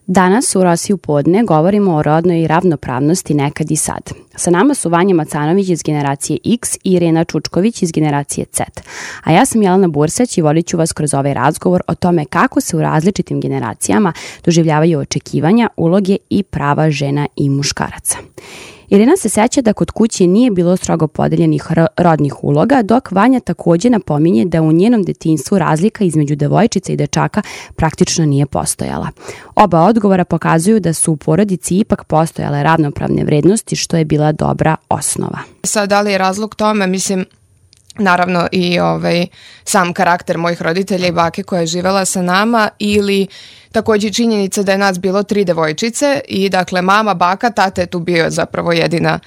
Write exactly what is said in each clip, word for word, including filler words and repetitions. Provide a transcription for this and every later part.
Danas u Rosiji u podne govorimo o rodnoj ravnopravnosti nekad i sad. Sa nama su Vanja Macanović iz generacije X i Irena Čučković iz generacije Z. A ja sam Jelena Bursać i vodit ću vas kroz ovaj razgovor o tome kako se u različitim generacijama doživljavaju očekivanja, uloge i prava žena i muškaraca. Irena se seća da kod kuće nije bilo strogo podeljenih rodnih uloga, dok Vanja takođe napominje da u njenom detinjstvu razlika između devojčica i dečaka praktično nije postojala. Oba odgovora pokazuju da su u porodici ipak postojale ravnopravne vrednosti, što je bila dobra osnova. Sad, da li je razlog tome, mislim, naravno i ovaj, sam karakter mojih roditelja i bake koja je živela sa nama, ili takođe činjenica da je nas bilo tri devojčice i dakle mama, baka, tata je tu bio zapravo jedina,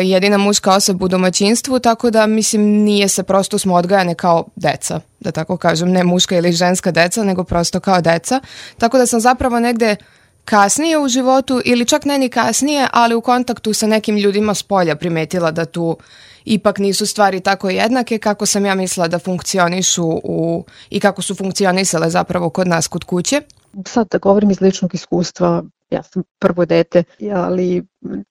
jedina muška osoba u domaćinstvu, tako da mislim nije se, prosto smo odgajane kao deca, da tako kažem, ne muška ili ženska deca, nego prosto kao deca, tako da sam zapravo negde kasnije u životu ili čak ne ni kasnije, ali u kontaktu sa nekim ljudima s polja primetila da tu ipak nisu stvari tako jednake kako sam ja mislila da funkcionišu u, i kako su funkcionisale zapravo kod nas kod kuće. Sad da govorim iz ličnog iskustva, ja sam prvo dete, ali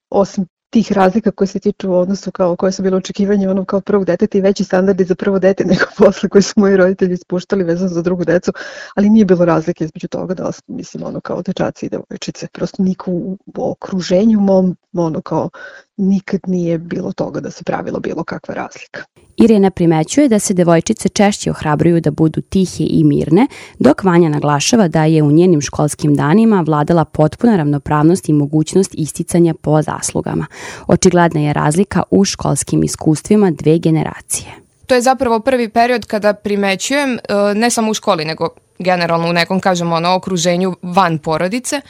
osim tih razlika koje se tiču u odnosu kao koje su bilo očekivanje ono kao prvog deteta i veći standardi za prvo dete nego posle koji su moji roditelji ispuštali vezano za drugu decu, ali nije bilo razlike između toga da mislim ono kao dečaci i devojčice. Prosto niko u okruženju mom ono kao nikad nije bilo toga da se pravilo bilo kakva razlika. Irena primećuje da se devojčice češće ohrabruju da budu tihe i mirne, dok Vanja naglašava da je u njenim školskim danima vladala potpuna ravnopravnost i mogućnost isticanja po zaslugama. Očigledna je razlika u školskim iskustvima dve generacije. To je zapravo prvi period kada primećujem, ne samo u školi, nego generalno u nekom, kažemo, ono, okruženju van porodice,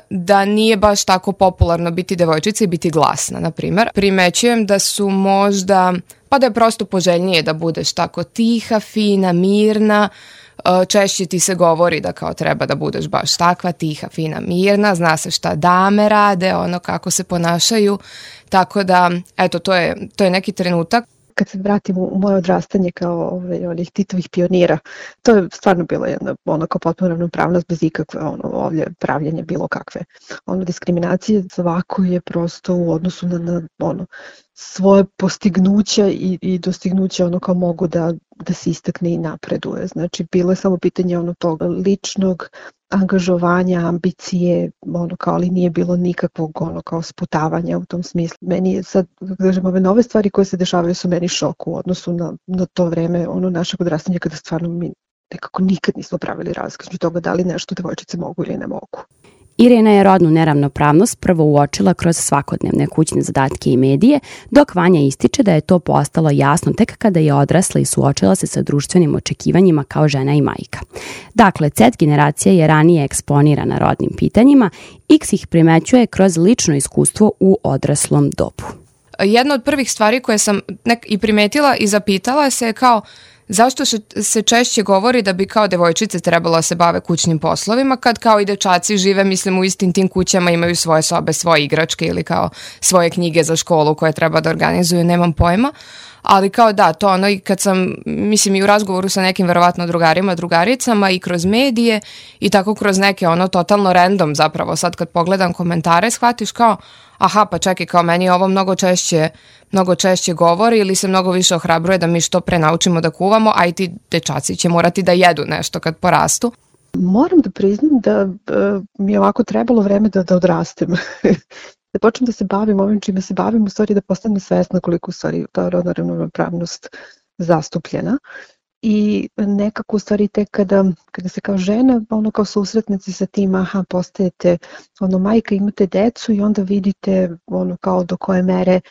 da nije baš tako popularno biti devojčica i biti glasna, na primjer. Primećujem da su možda, pa da je prosto poželjnije da budeš tako tiha, fina, mirna, češće ti se govori da kao treba da budeš baš takva, tiha, fina, mirna, zna se šta dame rade, ono kako se ponašaju, tako da, eto, to je, to je neki trenutak. Kad se vratim u moje odrastanje kao ovaj, onih Titovih pionira, to je stvarno bila jedna ono kao potpuno ravnopravnost bez ikakve ono, ovdje pravljenja bilo kakve ono, diskriminacije. Svako je prosto u odnosu na, na ono, svoje postignuća i, i dostignuća ono kao mogu da, da se istakne i napreduje. Znači bilo je samo pitanje ono toga ličnog angažovanja, ambicije, ono kao, ali nije bilo nikakvog ono kao sputavanja u tom smislu. Meni je sad, kažem, ove nove stvari koje se dešavaju su meni šok u odnosu na, na to vreme ono našeg odrastanja kada stvarno mi nekako nikad nismo pravili razliku između toga da li nešto devojčice mogu ili ne mogu. Irena je rodnu neravnopravnost prvo uočila kroz svakodnevne kućne zadatke i medije, dok Vanja ističe da je to postalo jasno tek kada je odrasla i suočila se sa društvenim očekivanjima kao žena i majka. Dakle, Z generacija je ranije eksponirana rodnim pitanjima, X ih primećuje kroz lično iskustvo u odraslom dobu. Jedna od prvih stvari koje sam nek i primetila i zapitala se je kao zašto se češće govori da bi kao devojčice trebalo da se bave kućnim poslovima, kad kao i dečaci žive, mislim, u istim tim kućama, imaju svoje sobe, svoje igračke ili kao svoje knjige za školu koje treba da organizuju, nemam pojma. Ali kao da, to ono i kad sam, mislim, i u razgovoru sa nekim verovatno drugarima, drugaricama i kroz medije i tako kroz neke ono totalno random zapravo, sad kad pogledam komentare shvatiš kao aha, pa čekaj, kao meni ovo mnogo češće, mnogo češće govori ili se mnogo više ohrabruje da mi što pre naučimo da kuvamo, a i ti dečaci će morati da jedu nešto kad porastu. Moram da priznam da uh, mi je ovako trebalo vreme da, da odrastem. Da počnem da se bavim ovim čime se bavim, u stvari da postanem svesna koliko u stvari ta rodna ravnopravnost zastupljena. I nekako u stvari tek kada, kada se kao žena, ono kao susretnici sa tim, aha, postajete ono majka, imate decu i onda vidite ono kao do koje mere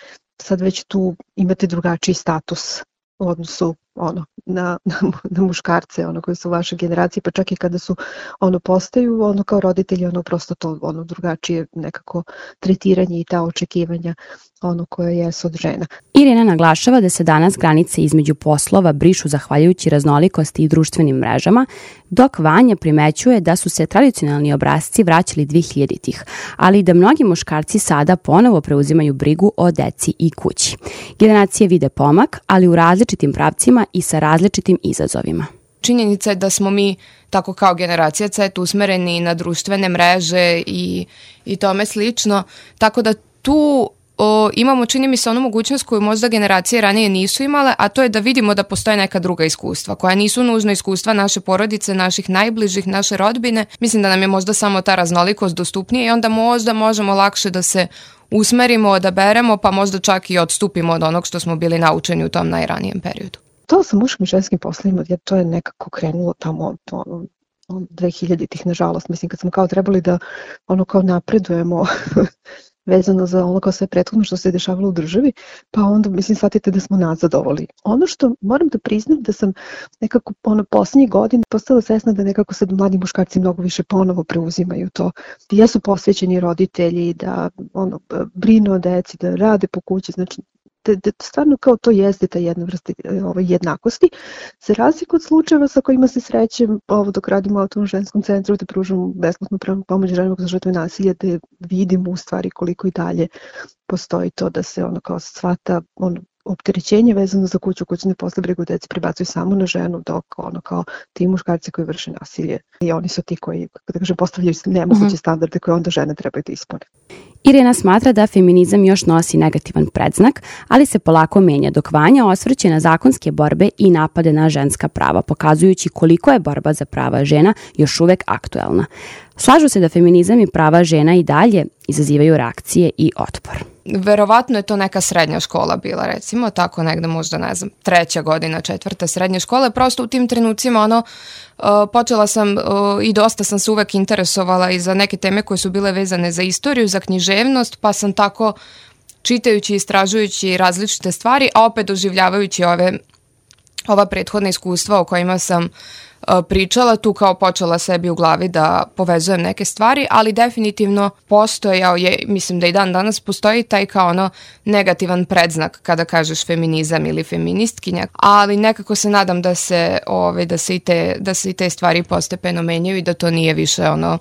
sad već tu imate drugačiji status u odnosu ono, na, na, na muškarce ono, koji su u vašoj generaciji, pa čak i kada su ono postaju ono kao roditelji, ono prosto to ono drugačije nekako tretiranje i ta očekivanja ono koje jesu od žena. Irena naglašava da se danas granice između poslova brišu zahvaljujući raznolikosti i društvenim mrežama, dok Vanja primećuje da su se tradicionalni obrasci vraćali dvehiljaditih, ali da mnogi muškarci sada ponovo preuzimaju brigu o deci i kući. Generacije vide pomak, ali u različitim pravcima i sa različitim izazovima. činjenica je da smo mi tako kao generacija C usmereni na društvene mreže i, i tome slično, tako da tu o, imamo, čini mi se, onu mogućnost koju možda generacije ranije nisu imale, a to je da vidimo da postoje neka druga iskustva, koja nisu nužno iskustva naše porodice, naših najbližih, naše rodbine. Mislim da nam je možda samo ta raznolikost dostupnija i onda možda možemo lakše da se usmerimo, odaberemo, pa možda čak i odstupimo od onog što smo bili naučeni u tom najranijem periodu. To sa muškim i ženskim poslovima, jer to je nekako krenulo tamo ono, dve hiljaditih, nažalost. Mislim, kad smo kao trebali da ono kao napredujemo vezano za ono kao sve prethodno što se dešavalo u državi, pa onda, mislim, shvatite da smo nazadovali. Ono što moram da priznam da sam nekako ono poslednjih godina postala svesna da nekako sad mladi muškarci mnogo više ponovo preuzimaju to. Jesu posvećeni roditelji, da ono, brinu o deci, da rade po kući, znači da, da stvarno kao to jeste ta jedna vrsta ovaj, jednakosti. Za razliku od slučajeva sa kojima se srećem, ovo dok radimo u Autonomnom ženskom centru, da pružamo besplatnu pravnu pomoć ženama za žrtve nasilja, da vidimo u stvari koliko i dalje postoji to da se ono kao shvata ono, opterećenje vezano za kuću, kućne posle, brigu deci prebacuju samo na ženu, dok ono kao ti muškarci koji vrše nasilje i oni su ti koji, da kažem, postavljaju nemoguće mm-hmm. standarde koje onda žene trebaju da ispune. Irena smatra da feminizam još nosi negativan predznak, ali se polako menja, dok Vanja osvrće na zakonske borbe i napade na ženska prava, pokazujući koliko je borba za prava žena još uvek aktuelna. Slažu se da feminizam i prava žena i dalje izazivaju reakcije i otpor. Verovatno je to neka srednja škola bila, recimo, tako negde možda, ne znam, treća godina, četvrta srednje škole. Prosto u tim trenucima ono, uh, počela sam uh, i dosta sam se uvek interesovala i za neke teme koje su bile vezane za istoriju, za književnost, pa sam tako čitajući, istražujući različite stvari, a opet doživljavajući ove, ova prethodna iskustva o kojima sam pričala, tu kao počela sebi u glavi da povezujem neke stvari, ali definitivno postojao je, mislim da i dan danas postoji taj kao ono negativan predznak kada kažeš feminizam ili feministkinja, ali nekako se nadam da se, ove, da se i te, da se i te stvari postepeno menjaju i da to nije više ono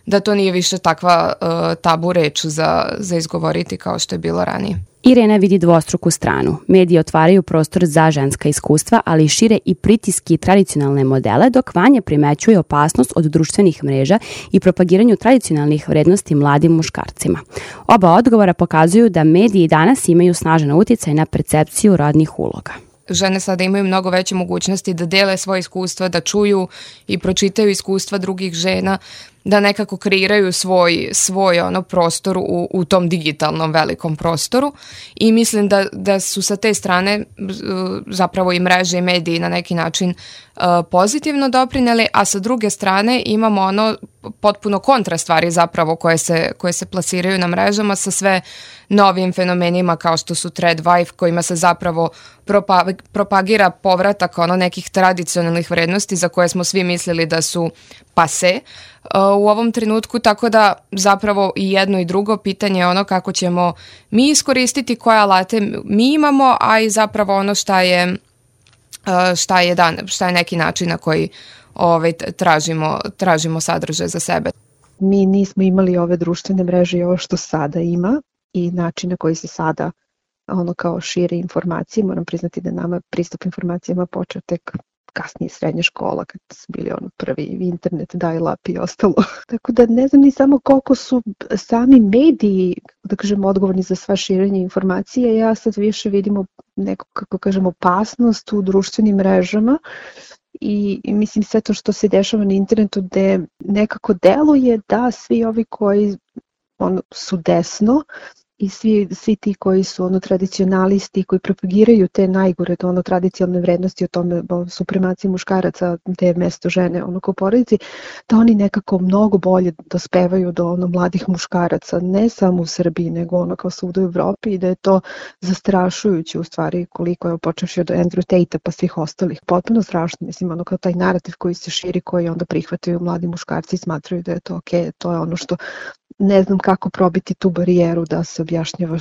da to nije više takva uh, tabu reč za, za izgovoriti kao što je bilo ranije. Irena vidi dvostruku stranu. Mediji otvaraju prostor za ženska iskustva, ali šire i pritiski i tradicionalne modele, dok Vanja primećuje opasnost od društvenih mreža i propagiranju tradicionalnih vrednosti mladim muškarcima. Oba odgovora pokazuju da mediji danas imaju snažan uticaj na percepciju rodnih uloga. Žene sada imaju mnogo veće mogućnosti da dele svoje iskustva, da čuju i pročitaju iskustva drugih žena, da nekako kreiraju svoj, svoj ono prostor u, u tom digitalnom velikom prostoru i mislim da, da su sa te strane zapravo i mreže i mediji na neki način uh, pozitivno doprineli, a sa druge strane imamo ono potpuno kontra stvari zapravo koje se, koje se plasiraju na mrežama sa sve novim fenomenima kao što su thread wife kojima se zapravo propa, propagira povratak ono nekih tradicionalnih vrednosti za koje smo svi mislili da su pase u ovom trenutku, tako da zapravo i jedno i drugo pitanje je ono kako ćemo mi iskoristiti koje alate mi imamo, a i zapravo ono šta je, šta je, dan, šta je neki način na koji ovaj, tražimo, tražimo sadržaj za sebe. Mi nismo imali ove društvene mreže i ovo što sada ima i način na koji se sada ono kao šire informacije. Moram priznati da nama pristup informacijama počeo tek kasnije srednja škola, kad su bili ono prvi internet, dial-up i ostalo. Tako da ne znam ni samo koliko su sami mediji, da kažemo, odgovorni za sva širenje informacije. Ja sad više vidimo neku, kako kažemo, opasnost u društvenim mrežama i, i mislim sve to što se dešava na internetu gde nekako deluje da svi ovi koji ono, su desno i svi, svi ti koji su ono tradicionalisti, koji propagiraju te najgore ono tradicionalne vrednosti o tome o supremaciji muškaraca, gde je mesto žene ono kao porodici, da oni nekako mnogo bolje dospevaju do ono mladih muškaraca, ne samo u Srbiji, nego ono kao svuda u Evropi i da je to zastrašujuće u stvari koliko je počevši od Andrew Tate-a pa svih ostalih. Potpuno strašno, mislim, ono kao taj narativ koji se širi, koji onda prihvataju mladi muškarci i smatraju da je to ok, to je ono što ne znam kako probiti tu barijeru da se objašnjava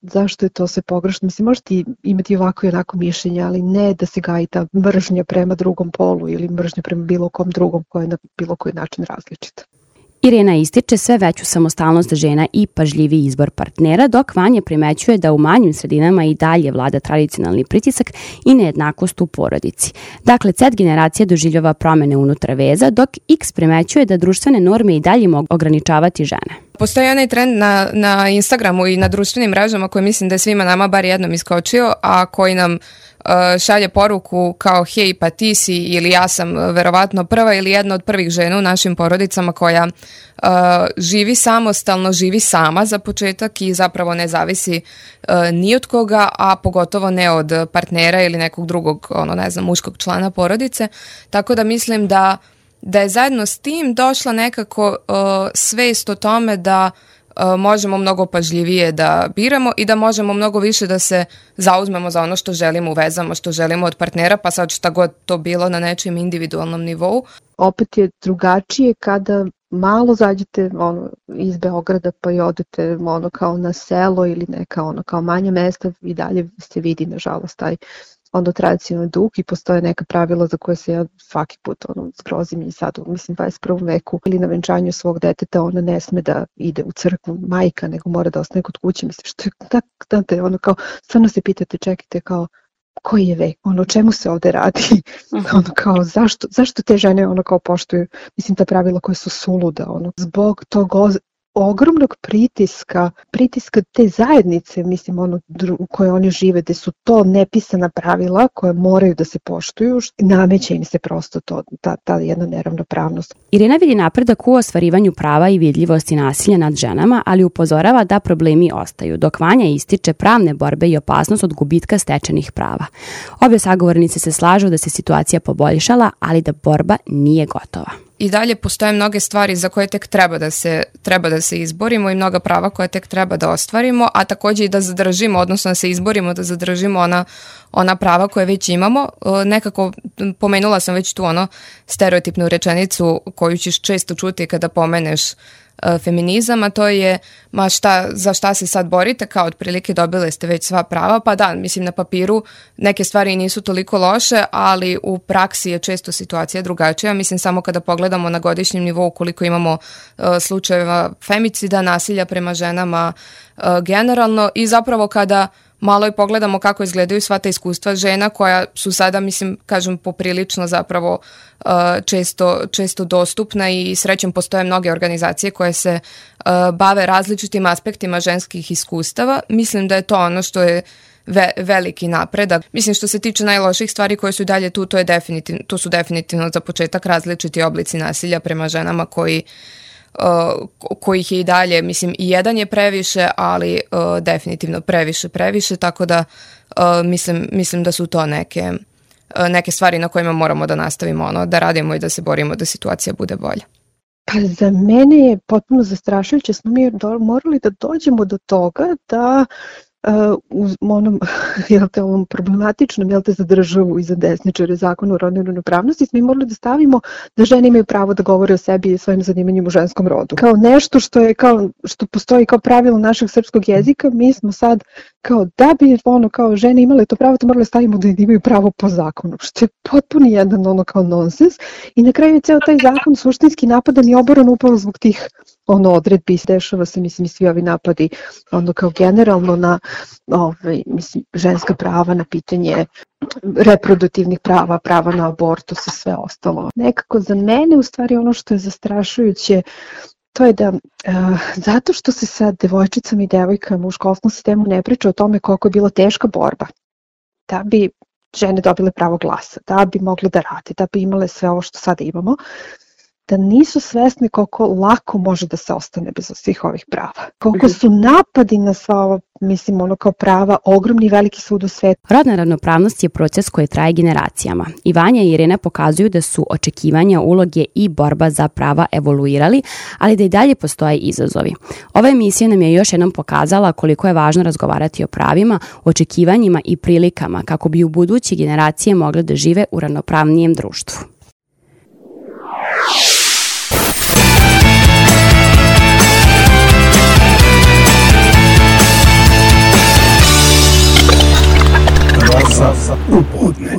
zašto je to sve pogrešno. Mislim, možete imati ovako i onako mišljenje, ali ne da se gaji ta mržnja prema drugom polu ili mržnja prema bilo kom drugom koja je na bilo koji način različita. Irena ističe sve veću samostalnost žena i pažljiviji izbor partnera, dok Vanja primećuje da u manjim sredinama i dalje vlada tradicionalni pritisak i nejednakost u porodici. Dakle, Z generacija doživljava promene unutar veza, dok X primećuje da društvene norme i dalje mogu ograničavati žene. Postoji onaj trend na, na Instagramu i na društvenim mrežama koji mislim da je svima nama bar jednom iskočio, a koji nam uh, šalje poruku kao hej pa ti si ili ja sam verovatno prva ili jedna od prvih žena u našim porodicama koja uh, živi samostalno, živi sama za početak i zapravo ne zavisi uh, ni od koga, a pogotovo ne od partnera ili nekog drugog, ono ne znam, muškog člana porodice. Tako da mislim da da je zajedno s tim došla nekako uh, svest o tome da uh, možemo mnogo pažljivije da biramo i da možemo mnogo više da se zauzmemo za ono što želimo u vezama, što želimo od partnera, pa sad šta god to bilo na nečijem individualnom nivou. Opet je drugačije kada malo zađete ono, iz Beograda pa i odete ono, kao na selo ili neka ono, kao manje mesta i dalje se vidi nažalost taj onda tradicionalni duh i postoje neka pravila za koje se ja svaki put ono, zgrozim i sad u mislim dvadeset prvom veku ili na venčanju svog deteta ona ne sme da ide u crkvu majka nego mora da ostane kod kuće. Mislim što je tako, znate, ono kao stvarno se pitate čekajte kao koji je vek, ono o čemu se ovde radi, uh-huh. ono kao zašto, zašto te žene ono kao poštuju, mislim ta pravila koje su suluda, ono zbog tog ogromnog pritiska, pritiska te zajednice, mislim, ono u kojoj oni žive, gde su to nepisana pravila koje moraju da se poštuju, nameće im se prosto to, ta, ta jedna neravnopravnost. Irena vidi napredak u ostvarivanju prava i vidljivosti nasilja nad ženama, ali upozorava da problemi ostaju, dok Vanja ističe pravne borbe i opasnost od gubitka stečenih prava. Obje sagovornice se slažu da se situacija poboljšala, ali da borba nije gotova. I dalje postoje mnoge stvari za koje tek treba da se treba da se izborimo i mnoga prava koje tek treba da ostvarimo, a takođe i da zadržimo, odnosno da se izborimo da zadržimo ona, ona prava koje već imamo. Nekako pomenula sam već tu ono stereotipnu rečenicu koju ćeš često čuti kada pomeneš feminizam, a to je ma šta, za šta se sad borite, kao otprilike dobile ste već sva prava, pa da, mislim na papiru neke stvari nisu toliko loše, ali u praksi je često situacija drugačija, mislim samo kada pogledamo na godišnjem nivou koliko imamo uh, slučajeva femicida, nasilja prema ženama uh, generalno i zapravo kada malo i pogledamo kako izgledaju sva ta iskustva žena koja su sada, mislim, kažem, poprilično zapravo uh, često, često dostupna i srećem postoje mnoge organizacije koje se uh, bave različitim aspektima ženskih iskustava. Mislim da je to ono što je ve, veliki napredak. Mislim što se tiče najloših stvari koje su dalje tu, to, je definitivno, to su definitivno za početak različiti oblici nasilja prema ženama koji Uh, kojih je i dalje, mislim i jedan je previše, ali uh, definitivno previše, previše, tako da uh, mislim, mislim da su to neke, uh, neke stvari na kojima moramo da nastavimo ono, da radimo i da se borimo da situacija bude bolja. Pa za mene je potpuno zastrašujuće, smo mi do, morali da dođemo do toga da Uh, u onom jel te, ovom problematičnom jel te, za državu i za desničare zakonu o rodnoj ravnopravnosti smo i morali da stavimo da žene imaju pravo da govore o sebi i svojim zanimanjima u ženskom rodu. Kao nešto što je kao što postoji kao pravilo našeg srpskog jezika, mi smo sad kao da bi ono kao žene imale to pravo, to morali stavimo da imaju pravo po zakonu, što je potpuno jedan ono kao nonsens i na kraju je ceo taj zakon suštinski napadan i oboran upravo zbog tih ono odredbi, dešava se mislim i svi ovi napadi ono kao generalno na ovaj, mislim, ženska prava, na pitanje reproduktivnih prava, prava na abortus i sve ostalo. Nekako za mene u stvari ono što je zastrašujuće to je da uh, zato što se sa devojčicama i devojkama u školskom sistemu ne priča o tome koliko je bila teška borba da bi žene dobile pravo glasa, da bi mogle da rade, da bi imale sve ovo što sada imamo, da nisu svesni koliko lako može da se ostane bez svih ovih prava. Koliko su napadi na sva ova, mislim, ono kao prava, ogromni i veliki svud u svetu. Rodna ravnopravnost je proces koji traje generacijama. I Vanja i Irena pokazuju da su očekivanja, uloge i borba za prava evoluirali, ali da i dalje postoje izazovi. Ova emisija nam je još jednom pokazala koliko je važno razgovarati o pravima, očekivanjima i prilikama kako bi u buduće generacije mogle da žive u ravnopravnijem društvu. U podne.